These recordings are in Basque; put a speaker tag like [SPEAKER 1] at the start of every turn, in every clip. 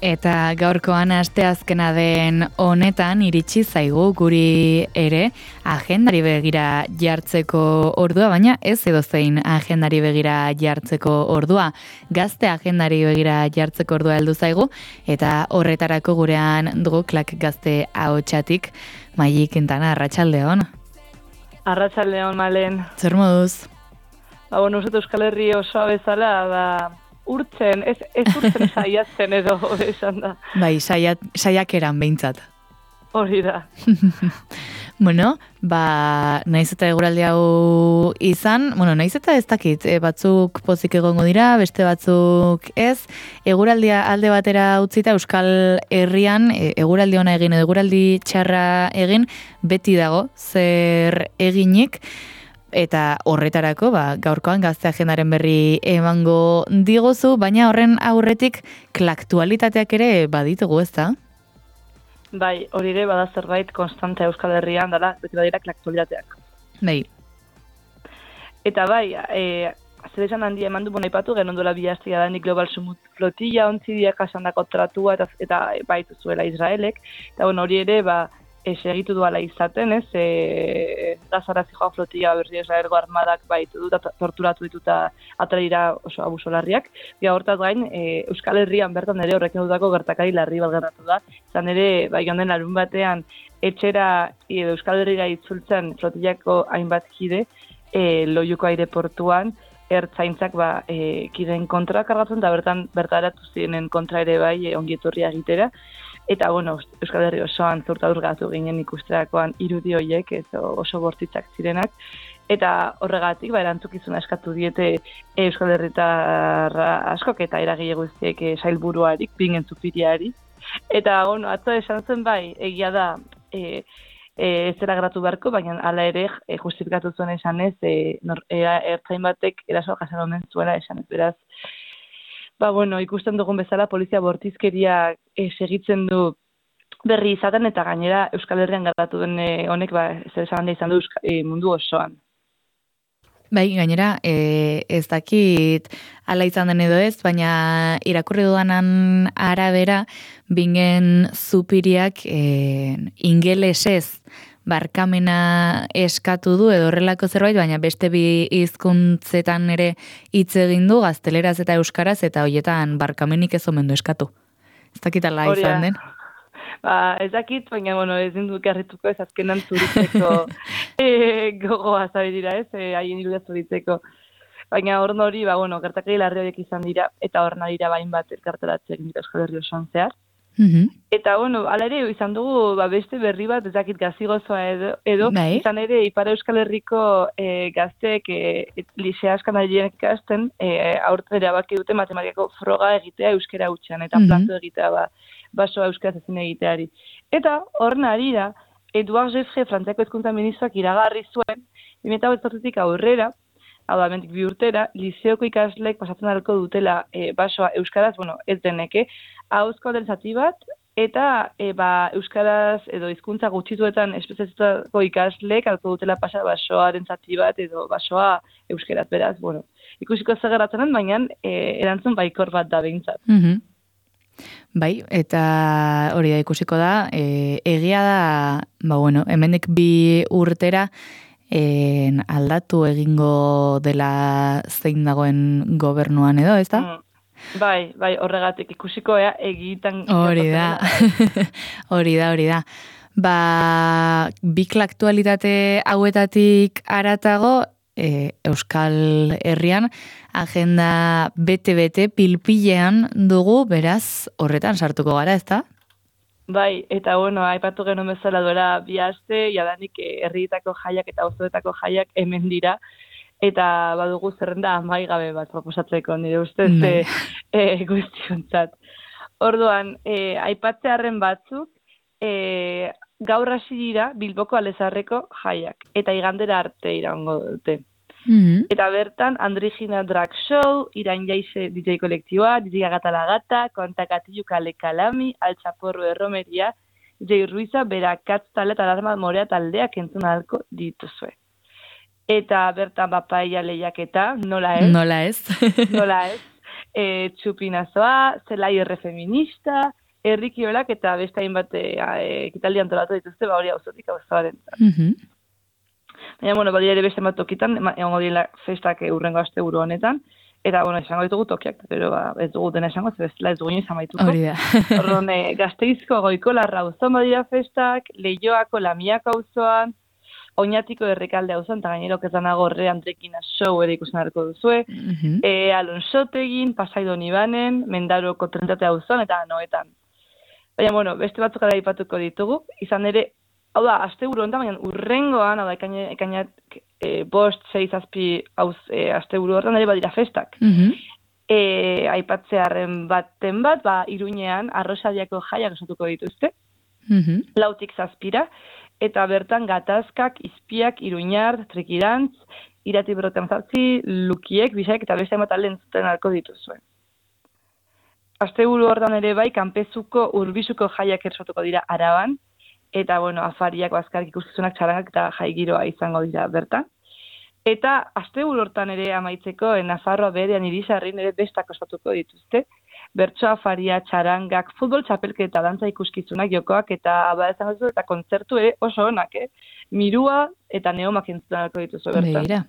[SPEAKER 1] Eta gaurkoan asteazkena den honetan iritsi zaigu guri ere agendari begira jartzeko ordua, baina ez edozein agendari begira jartzeko ordua. Gazte agendari begira jartzeko ordua heldu zaigu eta horretarako gurean dugu Klak Gazte ahotsatik Maili Quintana. Arratsaldeon.
[SPEAKER 2] Arratsaldeon, Malen.
[SPEAKER 1] Zer moduz?
[SPEAKER 2] Uste Euskal Herri osoa bezala, urtzen, ez urtzen saiatzen edo esan da.
[SPEAKER 1] Bai, saiakeran behintzat.
[SPEAKER 2] Hori da.
[SPEAKER 1] Bueno, naiz eta eguraldi hau izan, naiz eta ez dakit, batzuk pozik egongo dira, beste batzuk ez, eguraldia alde batera utzita Euskal Herrian, eguraldi ona egin edo eguraldi txarra egin, beti dago zer eginik, eta horretarako, gaurkoan Gazte agendaren berri emango diguzu, baina horren aurretik klaktualitateak ere baditugu, ezta?
[SPEAKER 2] Bai, hori ere bada zerbait konstante Euskal Herrian dela, beti badira klaktualitateak.
[SPEAKER 1] Bai.
[SPEAKER 2] Eta bai, zer esan handia eman du aipatu, genuen duela bi astea da Global Summit flotilla, ontzidiak asandako tratua eta baitu zuela Israelek, eta hori ere, segitu duala izaten, Gazara zijoa flotilla berri Israelgo armadak baitu du, torturatu dituta atraira oso abusolarriak. Hortaz gain, Euskal Herrian bertan ere horrekin dutako gertakari larri balgeratu da. Izan ere, joan den larun batean, etxera edo Euskal Herrira itzultzen flotillako hainbat kide, Loiuko aireportuan, ertzaintzak kideen kontra kargatzen, eta bertaratu ziren kontra ere bai ongietorria egitera. Eta, Euskal Herri osoan zurtadurgatu ginen ikusterakoan irudi horiek, oso bortitzak zirenak. Eta horregatik, erantzukizuna eskatu diete Euskal Herritar askok eta eragile guztiek sailburuarik, bingen zupiriari. Eta, atzo esan zen egia da, ez zera gratu beharko, baina hala ere justifikatu zuen esanez, ertzain batek erasoa jasan omen zuela esanez, beraz. Ikusten dugun bezala polizia bortizkeria segitzen du berri izaten eta gainera Euskal Herrian gertatu den honek zer esan handa izan du mundu osoan.
[SPEAKER 1] Bai, gainera, ez dakit ala izan den edo ez, baina irakurri dudanan arabera, bingen zupiriak ingelesez barkamena eskatu du edo horrelako zerbait, baina beste bi hizkuntzetan ere hitz egin du, gazteleraz eta euskaraz, eta horietan barkamenik ez omen du eskatu. Ez dakit ala izan den?
[SPEAKER 2] Ez dakit, baina ez dinduk harrituko ez azkenan zuritzeko gogoa zabidira ez, haien irudia zuritzeko. Baina hori, gertakari larri horiek izan dira, eta hor nadira bain bat elkarteratzea egin dira Euskal Herri osoan zehar. Eta, ala ere, izan dugu beste berri bat, ez dakit gazigozoa edo izan ere, Ipar Euskal Herriko gazteek lisea askan adienek ikasten, aurten erabaki dute matematikako froga egitea euskera hutsean, eta planto egitea basoa euskaraz ezin egiteari. Eta, horren arira, Eduard Jeffre, Frantziako hezkuntza ministroak iragarri zuen, 2008 aurrera, hau da, mentik bi urtera, liseoko ikasleek pasatzen alko dutela basoa euskaraz, ez deneke, ahozko den zati bat, eta euskaraz edo hizkuntza gutxituetan espezializatutako ikasleek alko dutela pasa basoaren zati bat edo basoa euskaraz, beraz, ikusiko zer gertatzen den, baina erantzun baikor bat da behintzat.
[SPEAKER 1] Bai, eta hori da ikusiko da, egia da, hemendik bi urtera, aldatu egingo dela zein dagoen gobernuan edo, ez da?
[SPEAKER 2] Bai, horregatik ikusiko egitan...
[SPEAKER 1] Hori da. Bi klaktualitate hauetatik aratago, Euskal Herrian, agenda bete pilpilean dugu, beraz, horretan sartuko gara, ez da?
[SPEAKER 2] Bai, eta aipatu genuen bezala duela bi aste, jadanik herrietako jaiak eta auzoetako jaiak hemen dira, eta badugu zerrenda amaigabe bat proposatzeko nire ustez guztiontzat. Orduan, aipatzearren batzuk, gaur hasi dira Bilboko Alezarreko jaiak, eta igandera arte iraungo dute. Eta bertan, Andrigina Drag Show, Irain Jaize DJ kolektiboa, DJ Gata, Kontakatilu Kale Kalami, Altxaporro Erromeria, DJ Ruiza, Berakatz talde eta Alarma Morea taldeak entzun ahalko dituzue. Eta bertan papaia lehiaketa, nola ez? txupinazoa, zelai erre feminista, herrikiolak eta beste hainbat ekitaldi antolatu dituzte, hori auzotik auzobaren. Baina, bueno, ere beste bat tokitan, egongo direla festak urrengo asteburu honetan, eta, bueno, esango ditugu tokiak, pero ez dugu dena esango, bestela ez dugu inoiz amaituko.
[SPEAKER 1] Hori da.
[SPEAKER 2] Orduan, Gasteizko Goikolarra auzon badira festak, Leioako Lamiako auzoan, Oñatiko Errekalde auzoan, eta gainero kezanago horre Andrekina show ere ikusten harko duzue, Alonsotegin, Pasaidon Ibanen, Mendaroko Trentate auzoan, eta Noetan. Baina, bueno, beste batzuk ara aipatuko ditugu, izan ere, hau da, asteburu honetan, baina urrengoan, hau da, ekainak 5-6 asteburu horretan ere badira festak. Aipatzearen baten bat, Iruñean, Arrosadiako jaiak osatuko dituzte, 4-7, eta bertan gatazkak, izpiak, iruñar, trikirantz, irati berroten zartzi, lukiek, bisaik, eta beste emata lentzuten alko dituzuen. Asteburu horretan ere bai, kanpezuko urbisuko jaiak ersatuko dira Araban, eta, bueno, afariak, bazkarrik ikuskizunak, txarangak eta jaigiroa izango dira bertan. Eta asteburu hortan ere amaitzeko, Nafarroa berean Irisarrin ere bestak ospatuko dituzte. Bertso afaria, txarangak, futbol txapelketa, dantza ikuskizunak, jokoak eta izango dituzu, eta kontzertu ere oso onak, Mirua eta Neomak entzunarko dituzu bertan.
[SPEAKER 1] Begira.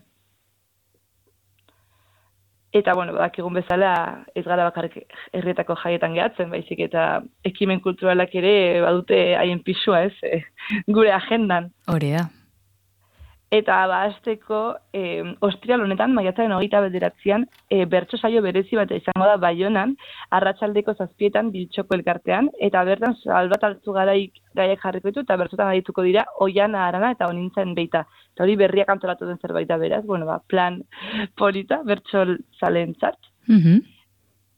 [SPEAKER 2] Eta, bueno, badakigun bezala ez gara bakarrik herrietako jaietan gehatzen, baizik eta ekimen kulturalak ere badute haien pisua, gure agendan.
[SPEAKER 1] Hori da.
[SPEAKER 2] Eta hasteko ostiral honetan, maiatzaren 29an, bertso saio berezi bat izango da Baionan, arratsaldeko 7etan Biltxoko elkartean, eta bertan Salbat Altzugaraiak jarriko ditu, eta bertsotan adituko dira Oiana Arana eta Onintzen Beita. Eta hori berriak antolatu den zerbait da beraz, bueno, plan polita, bertso zalentzat.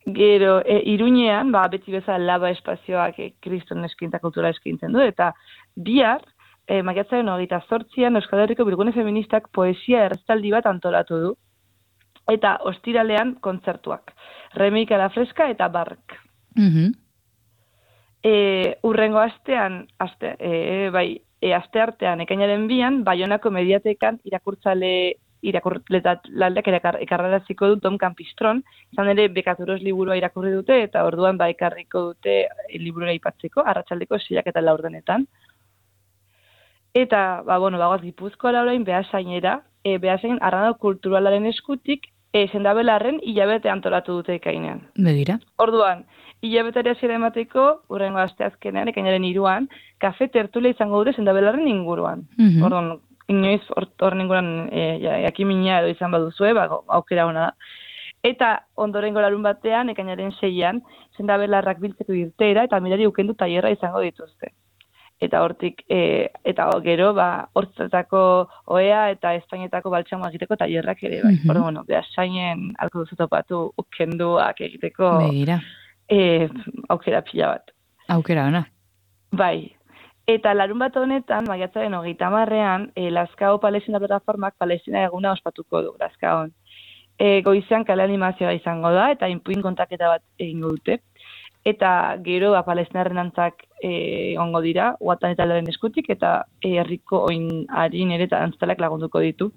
[SPEAKER 2] Gero, Iruñean, beti bezala Laba espazioak kriston eskaintza kultura eskaintzen du, eta bihar, maiatzaren 28an Euskal Herriko Bilgune Feministak poesia errezitaldi bat antolatu du. Eta ostiralean kontzertuak. Remik a la Fresca eta Bark. Urrengo astean, asteartean ekainaren 2an, Baionako Mediatekan irakurletak ekarraraziko du Tom Campistron, izan ere Bekaturos liburua irakurri dute, eta orduan ekarriko dute liburua aipatzeko, arratsaldeko 6 eta 4 Eta, bagoaz Gipuzkoara orain Beasainera, Beasain Arrano Kulturalaren eskutik, Sendabelarren hilabete antolatu dute ekainean.
[SPEAKER 1] Begira.
[SPEAKER 2] Orduan, hilabeteari hasiera emateko, urrengo asteazkenean, ekainaren 3an, kafe tertulia izango dute Sendabelarren inguruan. Orduan, inoiz horren inguruan jakimina edo izan baduzue, aukera ona da. Eta ondorengo larun batean, ekainaren 6an, Sendabelarrak biltzeko irteera eta mirari ukendu tailerra izango dituzte. Eta hortik, eta gero, hortzetako oea eta Espainietako baltsamoa egiteko tailerrak ere, bai. Bueno, Beasainen alko duzu topatu ukenduak egiteko aukera pila bat.
[SPEAKER 1] Aukera ona.
[SPEAKER 2] Bai. Eta larun bat honetan, maiatzaren 30an, Lazkao Palestina Plataformak Palestina eguna ospatuko du, Lazkaon. Goizean kale animazioa izango da, eta inpuin kontaketa bat egingo dute. Eta gero Palestinarren antzak ongo dira, Uatan eta Laren eskutik, eta herriko oinarien ere eta antztalak lagunduko ditu.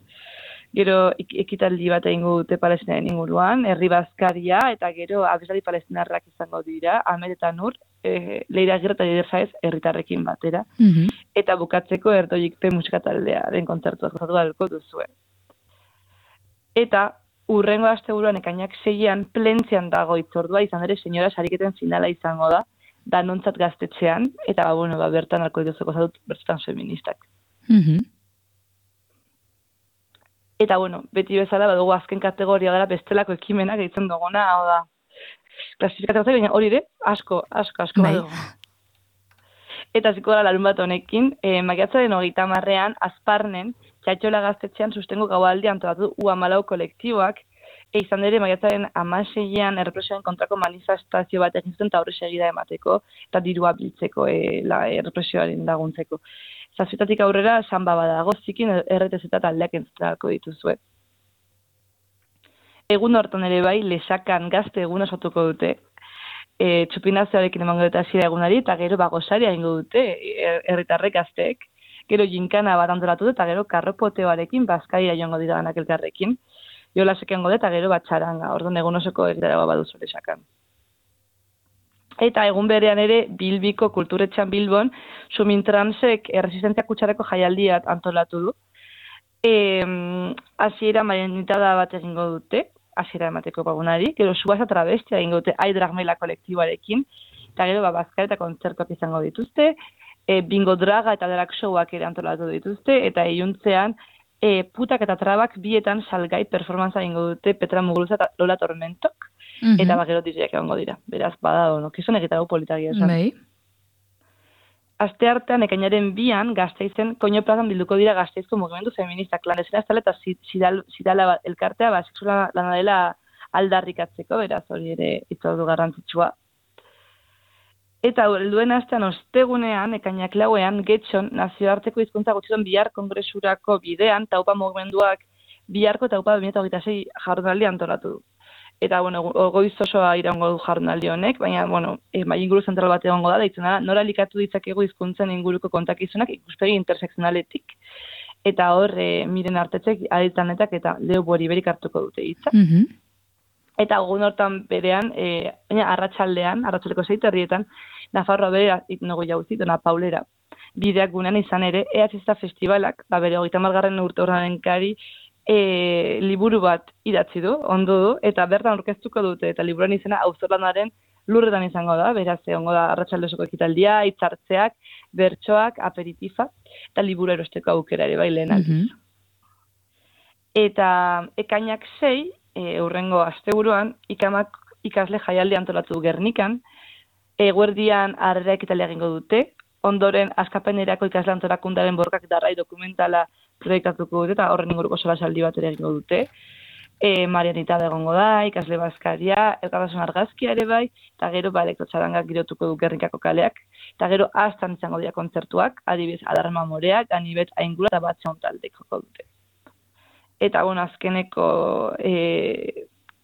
[SPEAKER 2] Gero ekitaldi bat egingo dute Palestinaren inguruan, herri bazkaria, eta gero abeslari palestinarrak izango dira, Ahmed eta Nur, Leira Agirre eta Lider Saez herritarrekin batera. Eta bukatzeko Erdoikpe musika taldearen kontzertuak gozatu dalko duzue. Eta urrengo asteburuan ekainak 6an Plentzian dago hitzordua, izan ere senyora sariketen finala izango da, Danontzat gaztetxean, eta bertan alko dituzeko zadut bertzutan feministak. Eta beti bezala badugu azken kategoria gara bestelako ekimenak egiten duguna, hau da, klasifikatzea baina hori ere, asko badugu. Eta ziko gara larun bat honekin, maiatzaren 30an Azparnen, Txatxola gaztetxean sustengo gaualdi antolatu U14 kolektiboak, izan ere maiatzaren 16an errepresioaren kontrako manifestazio bat egin zuten eta horre segida emateko, eta dirua biltzeko errepresioaren laguntzeko. Zazpietatik aurrera, samba badago, zikin RTZ eta aldeak entzutako dituzue. Egun hortan ere bai, Lesakan gazte egun osatuko dute, txupinazioarekin emango dute hasiera egunari, eta gero bagosaria egingo dute herritarrek gazteek. Gero jinkana bat antolatu dut, eta gero karropoteoarekin bazkaria joango dira ganak elkarrekin. jolasek egongo da, eta gero bat txaranga, orduan egun osoko egitaragoa baduzu lesakan. Eta egun berean ere, Bilbiko kulturetxan Bilbon, Sumintransek erresistentzia kutsareko jaialdiat antolatu du. Hasiera marienitada bat egingo dute, hasiera emateko pagunari, gero Subasa Travestia egingo dute Aidragmela kolektiboarekin, eta gero bazkari eta kontzertuak izango dituzte, bingo draga eta derak showak ere antolatu dituzte, eta iluntzean putak eta trabak bietan salgai performantza egingo dute Petra Muguruza eta Lola Tormentok, eta gero DJak egongo dira. Beraz, bada, kizun egitarago politagia esan.
[SPEAKER 1] Bai.
[SPEAKER 2] Aste artean, ekainaren 2an, Gasteizen, Koño plazan bilduko dira Gasteizko mugimendu feminista klandestina estale eta zidala elkartea, sexuala lana dela aldarrikatzeko, beraz, hori ere itzordu garrantzitsua. Eta helduen astean ostegunean, ekainak 4ean, Getxon, nazioarteko hizkuntza gutxiton bihar kongresurako bidean, taupa mugimenduak biharko taupa 2026 jardunaldi antolatu du. Eta, goiz osoa iraungo du jardunaldi honek, baina, mai inguru zentral bat egongo da, deitzen da, nora likatu ditzakegu hizkuntzen inguruko kontakizunak ikuspegi intersekzionaletik. Eta hor, Miren Artetzek, Aditanetak eta Leo Boriberik hartuko dute hitza. Eta egun hortan berean, arratsaldeko 6 herrietan, Nafarroa bere itnogo jauzi, Dona Paulera. Bideak gunean izan ere, EHZ Festivalak, bere 30. urte horren kari, liburu bat idatzi du, ondo du, eta bertan aurkeztuko dute, eta liburuan izena auzorlanaren lurretan izango da, beraz, egongo da arratsaldeko ekitaldia, hitzartzeak, bertsoak, aperitifa, eta liburu erosteko aukera ere bai lehen aldiz. Eta ekainak 6, hurrengo asteburuan, ikamak ikasle jaialdi antolatu du Gernikan, eguerdian harrera ekitalia egingo dute, ondoren askapenerako ikasle antolakundaren borkak darrai dokumentala proiektatuko dute, eta horren inguruko solasaldi bat ere egingo dute. Marianitada egongo da, ikasle bazkaria, elkartasun argazkia ere bai, eta gero elektrotxarangak girotuko du Gernikako kaleak, eta gero astan izango dira kontzertuak, adibidez Adarma Moreak, Anibet Aingula eta Batxeon taldek joko dute. Eta azkeneko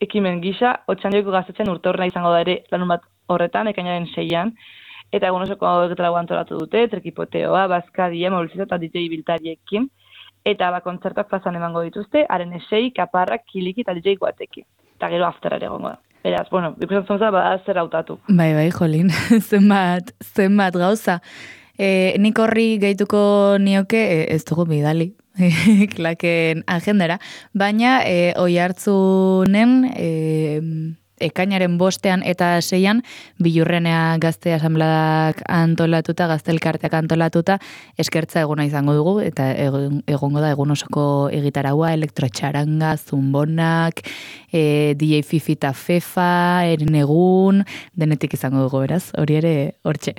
[SPEAKER 2] ekimen gisa, Otxandioiko Gaztetxean urteurrena izango da ere lanun bat horretan, ekainaren 6an, eta egun osoko egitarago antolatu dute, trekipoteoa, bazkaria, mobilizazio eta DJ biltariekin, eta kontzertuak plazan emango dituzte, haren esei, kaparrak, kiliki eta DJ guatekin. Eta gero aftera ere egongo da. Beraz, ikusten zonza, zer hautatu.
[SPEAKER 1] Bai, jolin, zenbat gauza. Nik horri gehituko nioke, ez dugu bidali, klaken agendara, baina oihartzunen ekainaren 5ean eta 6ean Bilurrenea Gazte Asanbladak antolatuta, gaztelkarteak antolatuta, eskertza eguna izango dugu, eta egongo da egun osoko egitaragua, elektrotxaranga, zumbonak, DJ Fifi eta Fefa, eren egun, denetik izango dugu, beraz, hori ere hortxe.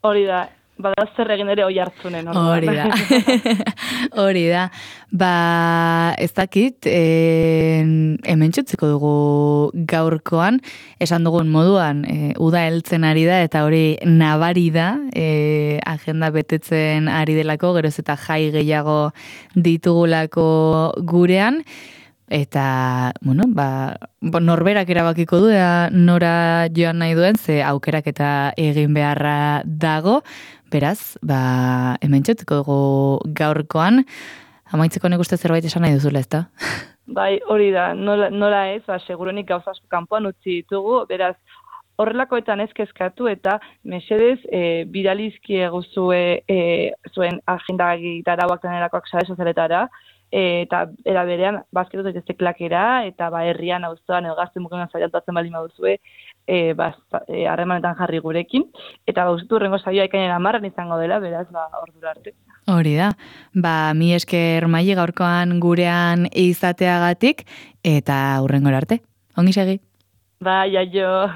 [SPEAKER 2] Hori da. Bada zer egin ere oihartzunen.
[SPEAKER 1] Hori da. Hori da. Ez dakit, hemen txutziko dugu gaurkoan, esan dugun moduan, uda heltzen ari da, eta hori nabari da, agenda betetzen ari delako, geroz eta jai gehiago ditugulako gurean, eta, norberak erabakiko du, nora joan nahi duen, ze aukerak eta egin beharra dago, beraz, hemen txutziko dugu gaurkoan, amaitzeko nik uste zerbait esan nahi duzula, ezta?
[SPEAKER 2] Bai, hori da, nola ez, segurenik gauza asko kanpoan utzi ditugu, beraz, horrelakoetan ez kezkatu eta mesedez bidalizki eguzue zuen agenda gitarauak denerakoak sare sozialetara, eta era berean bazketu daitezte klakera, eta herrian auzoan edo gazte mugimenduan saiatzen baldin baduzue, harremanetan jarri gurekin, eta gauzitu hurrengo saioa ekainaren 10an izango dela, beraz, ordura arte.
[SPEAKER 1] Hori da, mi esker Maili gaurkoan gurean izateagatik, eta hurrengora arte. Ongi segi.
[SPEAKER 2] Bai, aio.